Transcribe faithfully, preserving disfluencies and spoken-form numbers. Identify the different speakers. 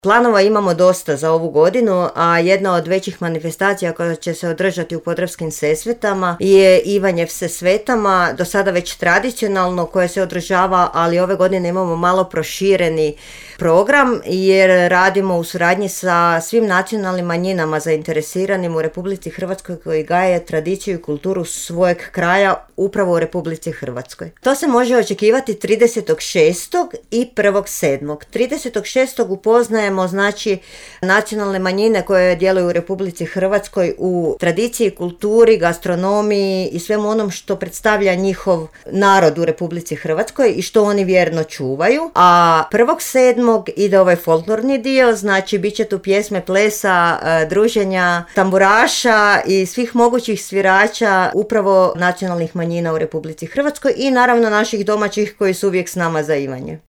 Speaker 1: Planova imamo dosta za ovu godinu, a jedna od većih manifestacija koja će se održati u Podravskim Sesvetama je Ivanjev se svetama, do sada već tradicionalno, koje se održava, ali ove godine imamo malo prošireni program jer radimo u suradnji sa svim nacionalnim manjinama zainteresiranim u Republici Hrvatskoj koji gaje tradiciju i kulturu svojeg kraja upravo u Republici Hrvatskoj. To se može očekivati tridesetog šestog i prvog sedmog tridesetog šestog upoznajemo znači nacionalne manjine koje djeluju u Republici Hrvatskoj u tradiciji, kulturi, gastronomiji i svemu onom što predstavlja njihov narod u Republici Hrvatskoj i što oni vjerno čuvaju. A prvog sedmog ide ovaj folklorni dio, znači bit će tu pjesme, plesa, druženja, tamburaša i svih mogućih svirača upravo nacionalnih manjina u Republici Hrvatskoj i naravno naših domaćih koji su uvijek s nama za Ivanje.